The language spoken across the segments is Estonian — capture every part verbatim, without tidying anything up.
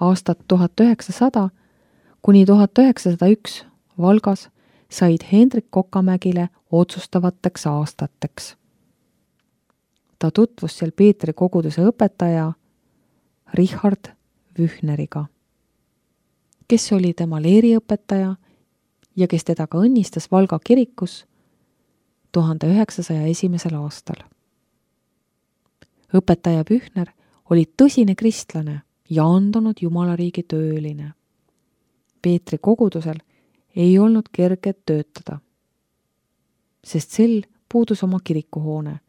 aastat tuhat üheksasada kuni tuhat üheksasada üks Valgas said Hendrik Kokamägile otsustavateks aastateks. Ta tutvus seal Peetri koguduse õpetaja Richard Wüchneriga, kes oli tema leeriõpetaja ja kes teda ka õnnistas Valga kirikus tuhande üheksasaja esimesel aastal. Õpetaja Wüchner oli tõsine kristlane ja andunud Jumalariigi tööline. Peetri kogudusel ei olnud kerge töötada, sest sel puudus oma kirikuhoone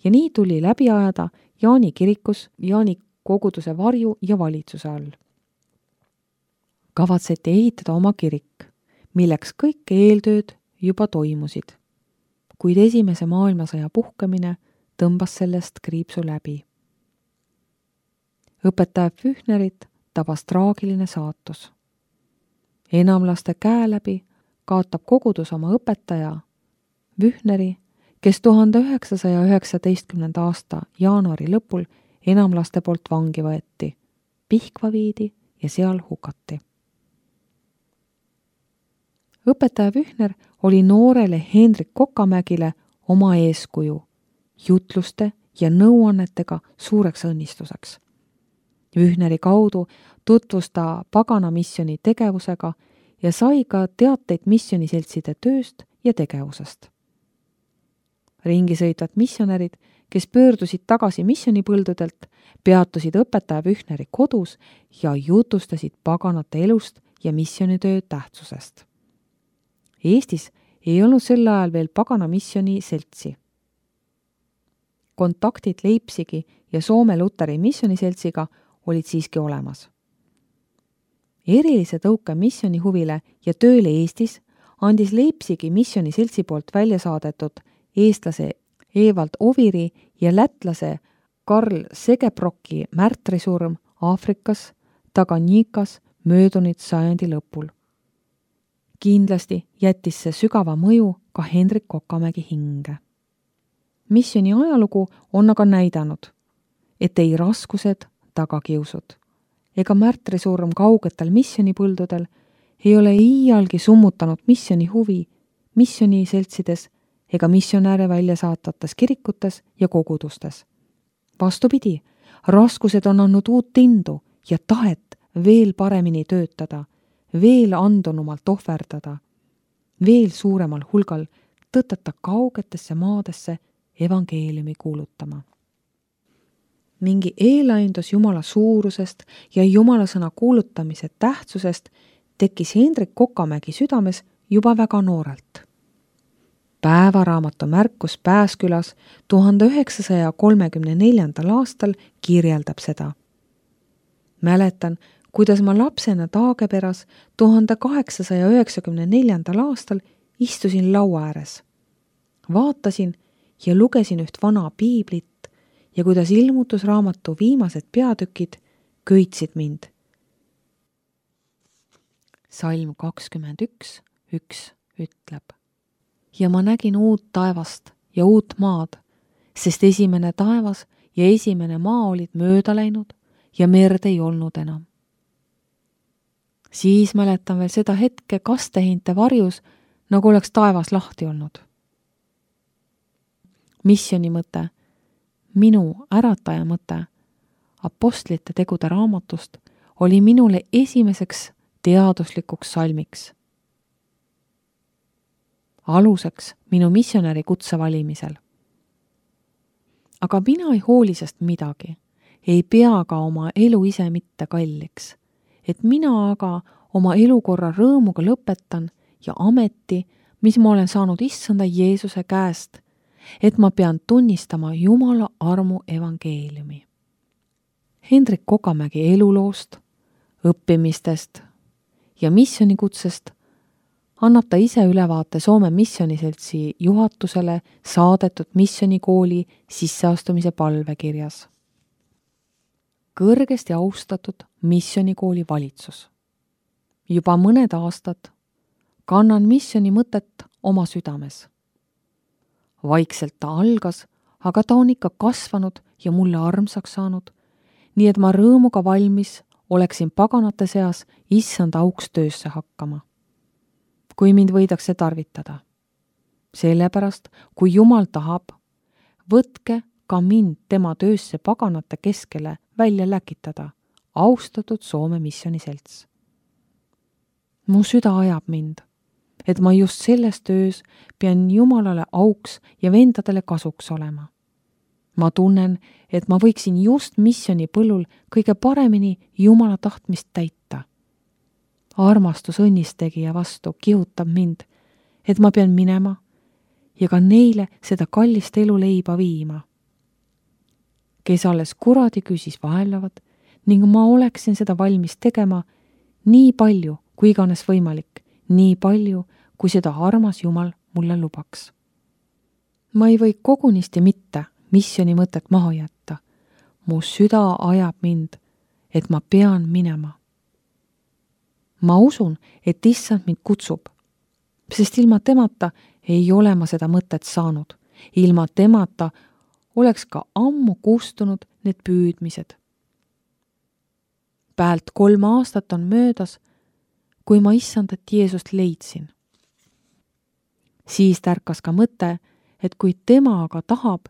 ja nii tuli läbi ajada Jaani kirikus Jaani koguduse varju ja valitsuse all. Kavatseti ehitada oma kirik, milleks kõik eeltööd juba toimusid, kuid esimese maailmasõja puhkemine tõmbas sellest kriipsu läbi. Õpetaja Wüchnerit tabas traagiline saatus. Enamlaste käe läbi kaotab kogudus oma õpetaja Wüchneri, kes tuhande üheksasaja üheksateistkümnenda aasta jaanuari lõpul enamlaste poolt vangi võeti, Pihkva viidi ja seal hukati. Õpetaja Wüchner oli noorele Hendrik Kokamägile oma eeskuju, jutluste ja nõuannetega suureks õnnistuseks. Wüchneri kaudu tutvus ta pagana missioni tegevusega ja sai ka teateid missioniseltside tööst ja tegevusest. Ringi sõitvad missionärid, kes pöördusid tagasi missionipõldudelt, peatusid õpetaja Wüchneri kodus ja jutustasid paganate elust ja missionitöö tähtsusest. Eestis ei olnud sel ajal veel pagana missioni seltsi. Kontaktid Leipzigi ja Soome Luteri missioniseltsiga olid siiski olemas. Erilise tõuke missioni huvile ja tööle Eestis andis Leipzigi missioniseltsi poolt välja saadetud eestlase Evald Oviri ja lätlase Karl Segebrocki märtrisurm Aafrikas, Taganyikas möödunud sajandi lõpul. Kindlasti jättis see sügava mõju ka Hendrik Kokamägi hinge. Missioni ajalugu on aga näidanud, et ei raskused, tagakiusud ega märtrisurm kaugetel missionipõldudel ei ole iialgi summutanud missioni huvi missioniseltsides ega missionääre välja saatvates kirikutes ja kogudustes. Vastupidi, raskused on andnud uut indu ja tahet veel paremini töötada, veel andunumalt ohverdada, veel suuremal hulgal tõtata kaugetesse maadesse evangeeliumi kuulutama. Mingi eelaindus Jumala suurusest ja Jumala sõna kuulutamise tähtsusest tekkis Hendrik Kokamägi südames juba väga noorelt. Päevaraamatu märkus Pääskülas tuhande üheksasaja kolmekümne neljandal aastal kirjeldab seda. Mäletan, kuidas ma lapsena Taageperas tuhande kaheksasaja üheksakümne neljandal aastal istusin laua ääres. Vaatasin ja lugesin üht vana piiblit ja kuidas ilmutusraamatu viimased peatükid köitsid mind. Salm kakskümmend üks, üks ütleb. Ja ma nägin uut taevast ja uut maad, sest esimene taevas ja esimene maa olid mööda läinud ja merd ei olnud enam. Siis mäletan veel seda hetke kastehinte varjus, nagu oleks taevas lahti olnud. Missioni mõte, minu ärataja mõte, apostlite tegude raamatust oli minule esimeseks teaduslikuks salmiks. Aluseks minu missionäri kutse valimisel. Aga mina ei hooli sest midagi, ei pea ka oma elu ise mitte kalliks, et mina aga oma elukorra rõõmuga lõpetan ja ameti, mis ma olen saanud issanda Jeesuse käest, et ma pean tunnistama Jumala armu evangeeliumi. Hendrik Kokamägi eluloost, õppimistest ja missionikutsest annab ta ise ülevaate Soome missioniseltsi juhatusele saadetud missionikooli sisseastumise palvekirjas. Kõrgesti austatud missionikooli valitsus. Juba mõned aastad kannan missioni mõtet oma südames. Vaikselt ta algas, aga ta on ikka kasvanud ja mulle armsaks saanud, nii et ma rõõmuga valmis oleksin paganate seas issanda auks töösse hakkama, kui mind võidakse tarvitada. Sellepärast, kui Jumal tahab, võtke ka mind tema töösse paganate keskele välja läkitada, austatud Soome missioniselts. Mu süda ajab mind, et ma just selles töös pean Jumalale auks ja vendadele kasuks olema. Ma tunnen, et ma võiksin just missioni põllul kõige paremini Jumala tahtmist täita. Armastus õnnistegija vastu kihutab mind, et ma pean minema ja ka neile seda kallist elu leiba viima. Kes alles kuradi küsis vaelavad ning ma oleksin seda valmis tegema nii palju, kui iganes võimalik, nii palju, kui seda armas Jumal mulle lubaks. Ma ei või kogunisti mitte missioni mõtet maha jätta. Mu süda ajab mind, et ma pean minema. Ma usun, et issand mind kutsub, sest ilma temata ei ole ma seda mõtet saanud. Ilma temata oleks ka ammu kustunud need püüdmised. Päält kolm aastat on möödas, kui ma issandat Jeesust leidsin. Siis tärkas ka mõte, et kui tema aga tahab,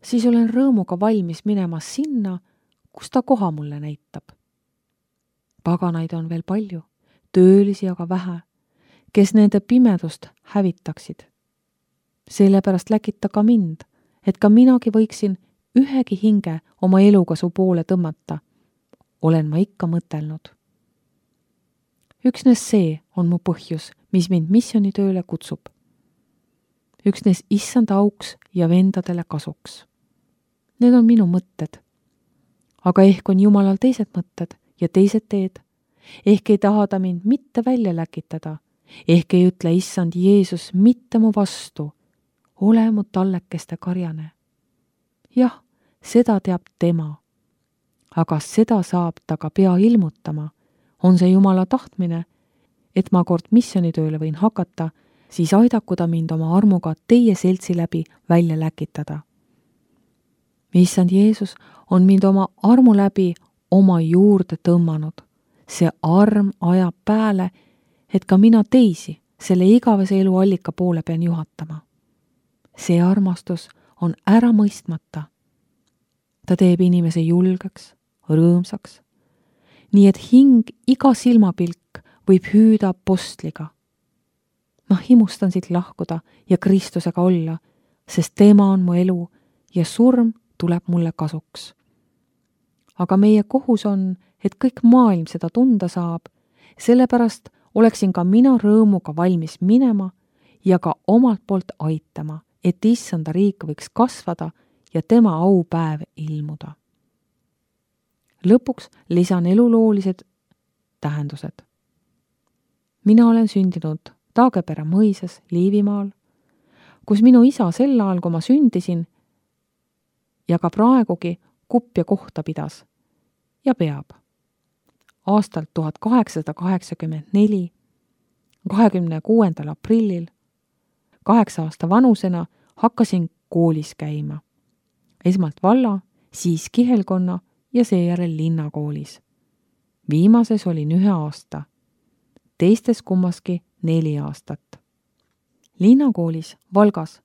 siis olen rõõmuga valmis minema sinna, kus ta koha mulle näitab. Paganaid on veel palju, töölisi aga vähe, kes nende pimedust hävitaksid. Sellepärast läkita ka mind, et ka minagi võiksin ühegi hinge oma eluga su poole tõmmata, olen ma ikka mõtelnud. Üksnes see on mu põhjus, mis mind missionitööle kutsub. Üksnes issanda auks ja vendadele kasuks. Need on minu mõtted. Aga ehk on Jumalal teised mõtted ja teised teed. Ehk ei taha ta mind mitte välja läkitada. Ehk ei ütle issand Jeesus mitte mu vastu. Ole mu tallekeste karjane. Jah, seda teab tema. Aga seda saab ta ka pea ilmutama. On see Jumala tahtmine, et ma kord missionitööle võin hakata, siis aidaku ta mind oma armuga teie seltsi läbi välja läkitada. Issand Jeesus on mind oma armu läbi oma juurde tõmmanud. See arm ajab pääle, et ka mina teisi selle igavese elu allika poole pean juhatama. See armastus on ära mõistmata. Ta teeb inimese julgeks, rõõmsaks, nii et hing iga silmapilk võib hüüda apostliga. Ma himustan siit lahkuda ja Kristusega olla, sest tema on mu elu ja surm tuleb mulle kasuks. Aga meie kohus on, et kõik maailm seda tunda saab, sellepärast oleksin ka mina rõõmuga valmis minema ja ka omalt poolt aitama, et issanda riik võiks kasvada ja tema aupäev ilmuda. Lõpuks lisan eluloolised tähendused. Mina olen sündinud Taagepera mõisas Liivimaal, kus minu isa sel ajal, kui ma sündisin, ja ka praegugi kupja kohta pidas ja peab. Aastal tuhat kaheksasada kaheksakümmend neli, kahekümne kuuendal aprillil, kaheksa aasta vanusena hakkasin koolis käima. Esmalt valla, siis kihelkonna ja seejärel linnakoolis. Viimases olin ühe aasta, teistes kummaski neli aastat. Linnakoolis Valgas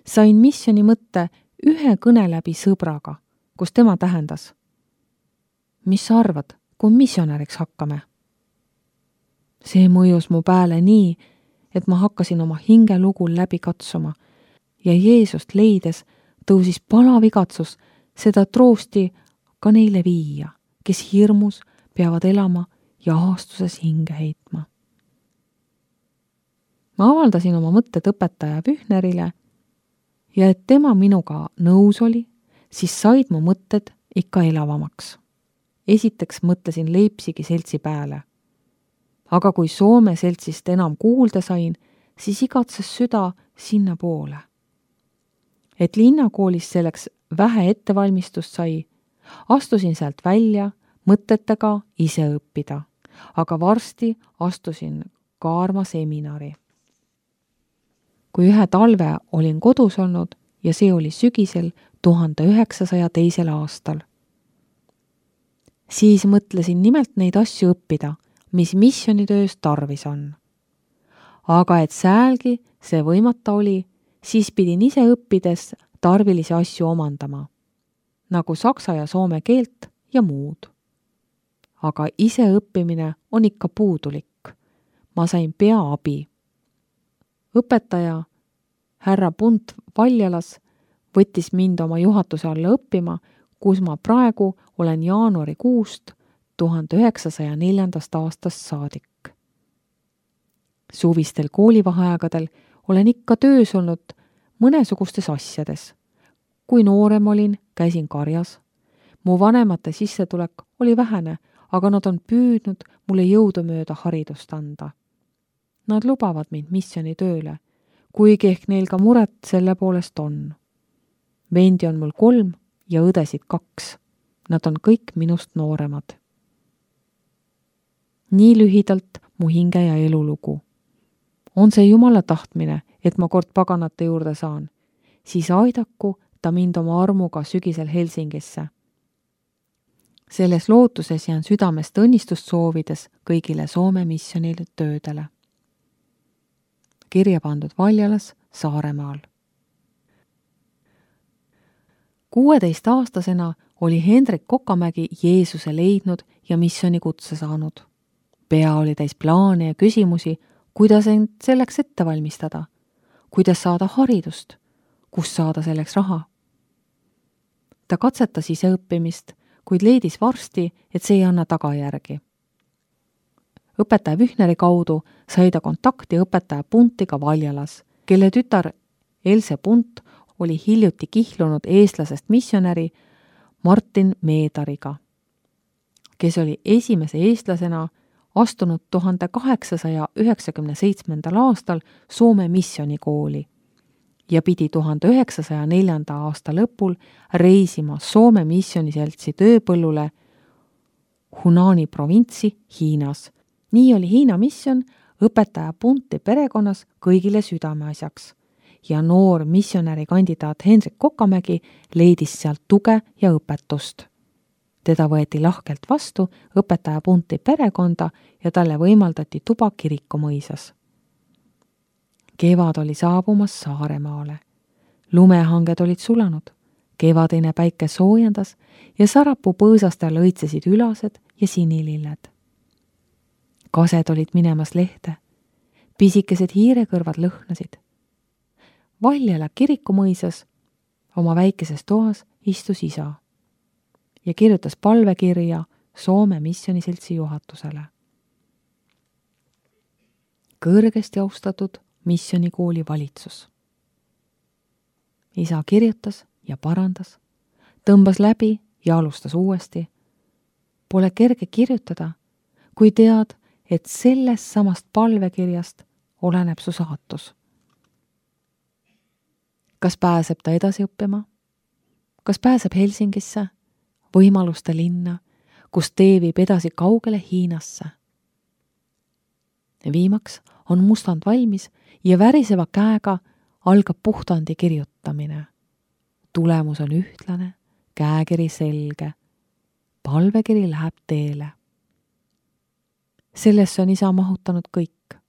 sain missioni mõtte ühe kõne läbi sõbraga, kus tema tähendas. Mis sa arvad, kui missionäriks hakkame? See mõjus mu pääle nii, et ma hakkasin oma hingelugul läbi katsuma ja Jeesust leides tõusis palav igatsus seda troosti ka neile viia, kes hirmus peavad elama ja aastuses hinge heitma. Ma avaldasin oma mõtted õpetaja Pühnerile ja et tema minuga nõus oli, siis said mu mõtted ikka elavamaks. Esiteks mõtlesin Leipzigi seltsi pääle. Aga kui Soome seltsist enam kuulda sain, siis igatses süda sinna poole. Et linnakoolis selleks vähe ettevalmistust sai, astusin sealt välja mõtetega ise õppida, aga varsti astusin Kaarma seminari. Kui ühe talve olin kodus olnud ja see oli sügisel tuhande üheksasaja teisel aastal. Siis mõtlesin nimelt neid asju õppida, mis missionitöös tarvis on. Aga et säälgi see võimata oli, siis pidin ise õppides tarvilisi asju omandama, nagu saksa ja soome keelt ja muud. Aga ise õppimine on ikka puudulik. Ma sain pea abi. Õpetaja härra Punt Valjalas võttis mind oma juhatuse alla õppima, kus ma praegu olen jaanuarikuust tuhande üheksasaja neljandast aastast saadik. Suvistel koolivaheaegadel olen ikka töös olnud mõnesugustes asjades. Kui noorem olin, käisin karjas. Mu vanemate sissetulek oli vähene, aga nad on püüdnud mulle jõudumööda haridust anda. Nad lubavad mind missioni tööle, kuigi ehk neil ka muret selle poolest on. Vendi on mul kolm ja õdesid kaks. Nad on kõik minust nooremad. Nii lühidalt mu hinge ja elulugu. On see Jumala tahtmine, et ma kord paganate juurde saan, siis aidaku ta mind oma armuga sügisel Helsingisse. Selles lootuses jään südamest õnnistust soovides kõigile Soome missionile töödele. Kirja pandud Valjalas, Saaremaal. kuueteistaastasena oli Hendrik Kokamägi Jeesuse leidnud ja missioni kutse saanud. Pea oli täis plaane ja küsimusi, kuidas end selleks ette valmistada, kuidas saada haridust, kus saada selleks raha. Ta katsetas ise õppimist, kuid leidis varsti, et see ei anna tagajärgi. Õpetaja Vühneri kaudu sai ta kontakti õpetaja Puntiga Valjalas, kelle tütar Else Punt oli hiljuti kihlunud eestlasest missionäri Martin Meedariga, kes oli esimese eestlasena astunud tuhande kaheksasaja üheksakümne seitsmendal aastal Soome missionikooli ja pidi tuhande üheksasaja neljanda aasta lõpul reisima Soome missioniseltsi tööpõllule Hunani provintsi Hiinas. Nii oli Hiina mission õpetaja Punti perekonnas kõigile südameasjaks ja noor missionäri kandidaat Hendrik Kokamägi leidis sealt tuge ja õpetust. Teda võeti lahkelt vastu õpetaja Punti perekonda ja talle võimaldati tuba Kirikumõisas. Kevad oli saabumas Saaremaale. Lumehanged olid sulanud, kevadine päike soojendas ja Sarapuu põõsastel lõitsesid ülased ja sinililled. Kased olid minemas lehte, pisikesed hiirekõrvad lõhnasid. Valjala Kirikumõisas oma väikeses toas istus isa ja kirjutas palvekirja Soome missioniseltsi juhatusele. Kõrgesti austatud missionikooli valitsus. Isa kirjutas ja parandas, tõmbas läbi ja alustas uuesti. Pole kerge kirjutada, kui tead, et sellest samast palvekirjast oleneb su saatus. Kas pääseb ta edasi õppima? Kas pääseb Helsingisse, võimaluste linna, kus tee viib edasi kaugele Hiinasse? Viimaks on mustand valmis ja väriseva käega algab puhtandi kirjutamine. Tulemus on ühtlane, käekiri selge. Palvekiri läheb teele. Sellesse on isa mahutanud kõik.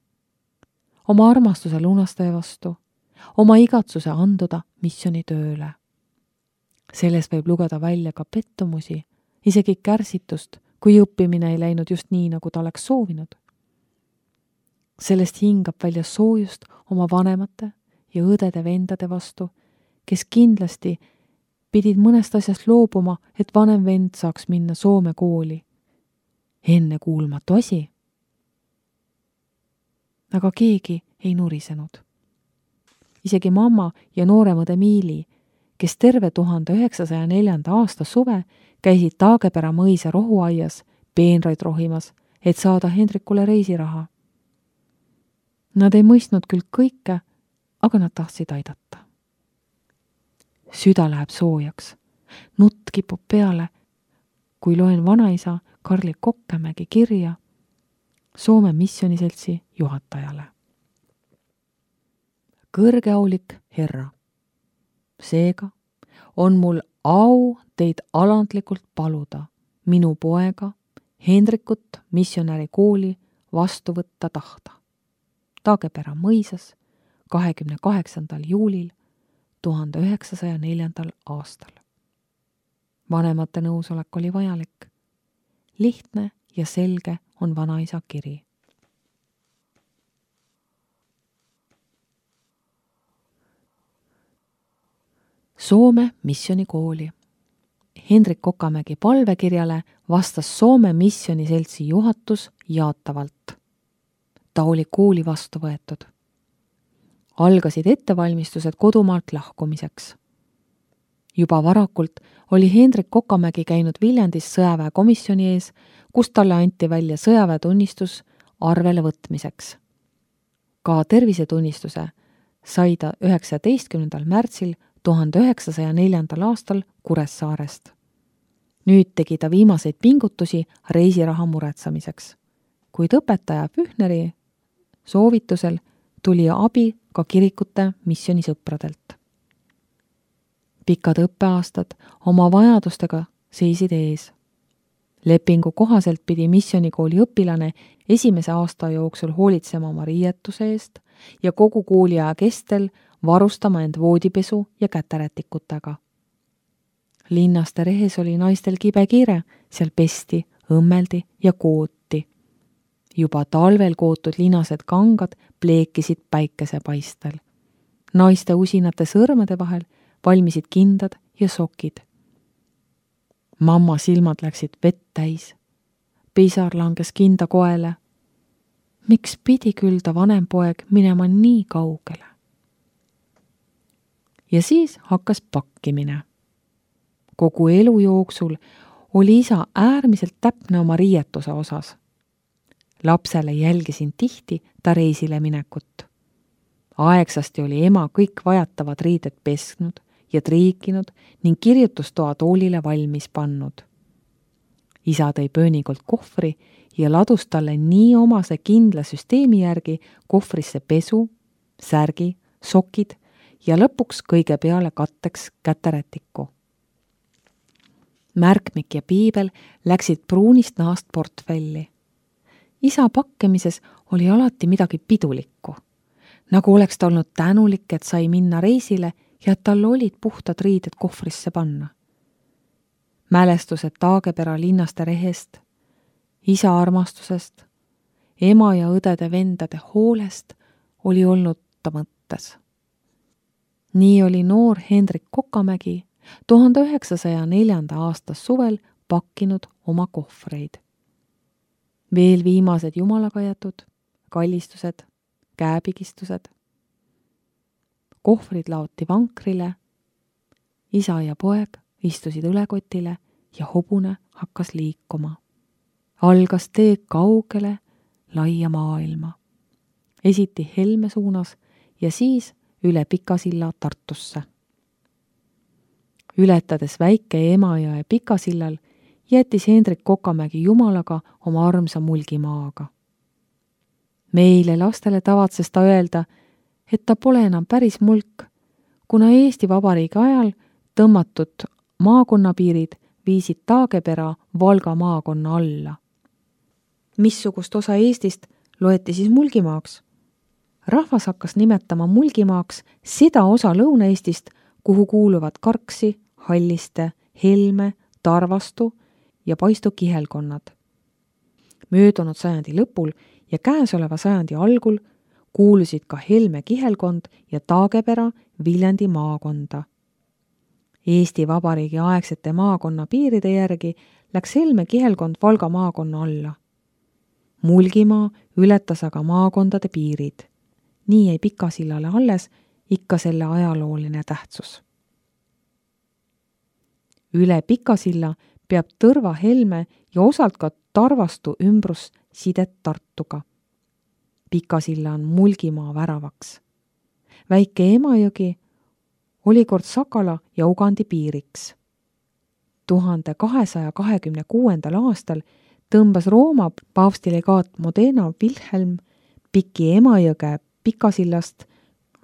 Oma armastuse lunastaja vastu, oma igatsuse anduda missionitööle. Selles võib lugeda välja ka pettumusi, isegi kärsitust, kui õppimine ei läinud just nii, nagu ta oleks soovinud. Sellest hingab välja soojust oma vanemate ja õdede-vendade vastu, kes kindlasti pidid mõnest asjast loobuma, et vanem vend saaks minna Soome kooli. Enne kuulmatu asi. Aga keegi ei nurisenud. Isegi mamma ja nooremõde Miili, kes terve tuhande üheksasaja neljanda aasta suve käisid Taagepera mõisa rohuaias peenraid rohimas, et saada Hendrikule reisiraha. Nad ei mõistnud küll kõike, aga nad tahtsid aidata. Süda läheb soojaks, nutt kipub peale, kui loen vanaisa Karli Kokkamägi kirja Soome missioniseltsi juhatajale. Kõrgeaulik herra, seega on mul au teid alandlikult paluda minu poega Hendrikut missionäri kooli vastu võtta tahta. Taagepera mõisas kahekümne kaheksandal juulil tuhande üheksasaja neljandal aastal. Vanemate nõusolek oli vajalik. Lihtne ja selge on vanaisa kiri. Soome missionikooli. Hendrik Kokamägi palvekirjale vastas Soome missioniseltsi juhatus jaatavalt. Ta oli kooli vastu võetud. Algasid ettevalmistused kodumaalt lahkumiseks. Juba varakult oli Hendrik Kokamägi käinud Viljandis sõjaväekomisjoni ees, kus talle anti välja sõjaväetunnistus arvele võtmiseks. Ka tervisetunnistuse sai ta üheksateistkümnendal märtsil tuhande üheksasaja neljandal aastal Kuressaarest. Nüüd tegi ta viimaseid pingutusi reisiraha muretsemiseks. Kuid õpetaja Pühneri soovitusel tuli abi ka kirikute missionisõpradelt. Pikad õppeaastad oma vajadustega seisid ees. Lepingu kohaselt pidi missionikooli õpilane esimese aasta jooksul hoolitsema oma riietuse eest ja kogu kooliaja kestel varustama end voodipesu ja käterätikutega. Linnaste rehes oli naistel kibe kiire, seal pesti, õmmeldi ja kooti. Juba talvel kootud linased kangad pleekisid päikesepaistel. Naiste usinate sõrmede vahel valmisid kindad ja sokid. Mamma silmad läksid vett täis. Pisar langes kinda koele. Miks pidi küll ta vanem poeg minema nii kaugele? Ja siis hakkas pakkimine. Kogu elu jooksul oli isa äärmiselt täpne oma riietuse osas. Lapsele jälgisin tihti ta reisile minekut. Aegsasti oli ema kõik vajatavad riided pesknud ja triikinud ning kirjutustoa toolile valmis pannud. Isa tõi pöönikult kohvri ja ladus talle nii omase kindla süsteemi järgi kohvrisse pesu, särgi, sokid ja lõpuks kõige peale katteks käterätiku. Märkmik ja piibel läksid pruunist nahast portfelli. Isa pakkemises oli alati midagi pidulikku, nagu oleks ta olnud tänulik, et sai minna reisile ja et tal olid puhtad riided kohvrisse panna. Mälestused Taagepera linnaste rehest, isa armastusest, ema ja õdede vendade hoolest oli olnud ta mõttes. Nii oli noor Hendrik Kokamägi tuhande üheksasaja neljanda aastas suvel pakkinud oma kohvreid. Veel viimased jumalakajatud, kallistused, käepigistused. Kohvrid laoti vankrile, isa ja poeg istusid õlekotile ja hobune hakkas liikuma. Algas tee kaugele, laia maailma. Esiti Helme suunas ja siis üle Pikasilla Tartusse. Ületades väike Emajõe Pikasillal jättis Hendrik Kokamägi jumalaga oma armsa Mulgimaaga. Meile lastele tavatses ta öelda, et ta pole enam päris mulk, kuna Eesti Vabariigi ajal tõmmatud maakonnapiirid viisid Taagepera Valga maakonna alla. Missugust osa Eestist loeti siis Mulgimaaks? Rahvas hakkas nimetama Mulgimaaks seda osa Lõuna-Eestist, kuhu kuuluvad Karksi, Halliste, Helme, Tarvastu ja Paistu kihelkonnad. Möödunud sajandi lõpul ja käesoleva sajandi algul kuulusid ka Helme kihelkond ja Taagepera Viljandi maakonda. Eesti Vabariigi aegsete maakonna piiride järgi läks Helme kihelkond Valga maakonna alla. Mulgimaa ületas aga maakondade piirid. Nii jäi Pikasillale alles ikka selle ajalooline tähtsus. Üle Pikasilla peab Tõrva Helme ja osalt ka Tarvastu ümbrus sidet Tartuga. Pikasilla on Mulgimaa väravaks. Väike Emajõgi oli kord Sakala ja Ugandi piiriks. tuhande kahesaja kahekümne kuuendal aastal tõmbas Rooma paavstilegaat Modena Wilhelm Piki Emajõge Pikasillast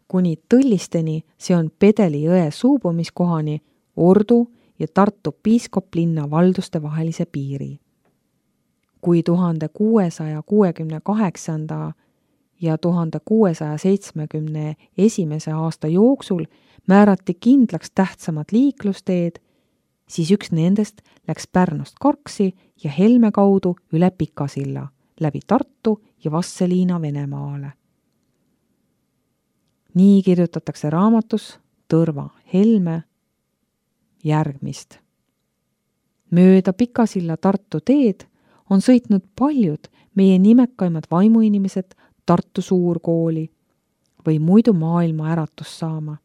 kuni Tõllisteni, see on Pedeli jõe suubumiskohani, Ordu ja Tartu piiskoplinna valduste vahelise piiri. Kui tuhande kuuesaja kuuekümne kaheksanda ja tuhande kuuesaja seitsmekümne esimese aasta jooksul määrati kindlaks tähtsamad liiklusteed, siis üks nendest läks Pärnust Karksi ja Helme kaudu üle Pikasilla, läbi Tartu ja Vasseliina Venemaale. Nii kirjutatakse raamatus Tõrva Helme järgmist. Mööda Pikasilla Tartu teed on sõitnud paljud meie nimekaimad vaimuinimesed Tartu Suurkooli või muidu maailma äratust saama.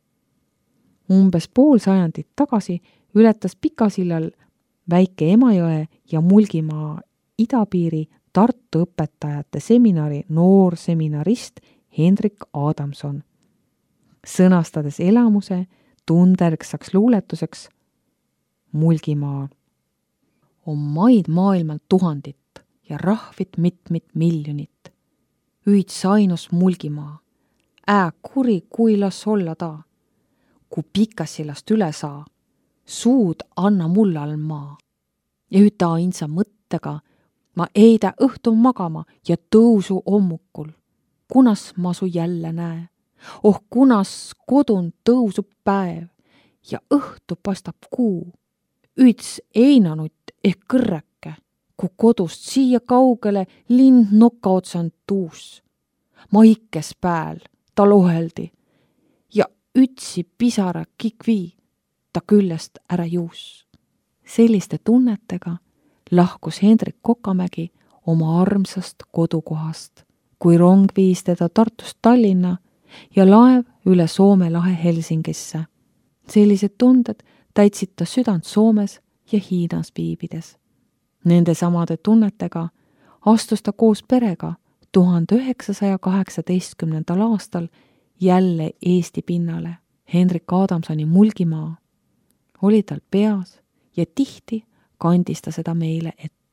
Umbes pool sajandit tagasi ületas Pikasillal väike Emajõe ja Mulgimaa idapiiri Tartu õpetajate seminari noorseminarist Hendrik Adamson, sõnastades elamuse tunderksaks luuletuseks Mulgimaal. On maid maailmal tuhandit ja rahvit mitmit miljonit. Üits ainus Mulgimaa, ää kuri kui las olla taa. Ku Pikasillast üle saa, suud anna mulle all maa. Ja üta ainsa mõttega ma eidä õhtu magama ja tõusu ommukul. Kunas ma su jälle näe? Oh kunas kodun tõusub päev ja õhtu pastab kuu. Üts einanutt ehk kõrreke, ku kodust siia kaugele lind noka otsand tuus. Ma ikkes pääl, ta loheldi ja ütsi pisara kikvi, ta küljest ära juus. Selliste tunnetega lahkus Hendrik Kokamägi oma armsast kodukohast, kui rong viis teda Tartust Tallinna ja laev üle Soome lahe Helsingisse. Sellised tunded täitsid ta südant Soomes ja Hiinas viibides. Nende samade tunnetega astus ta koos perega tuhande üheksasaja kaheksateistkümnendal aastal jälle Eesti pinnale. Hendrik Adamsoni Mulgimaa oli tal peas ja tihti kandis ta seda meile ette.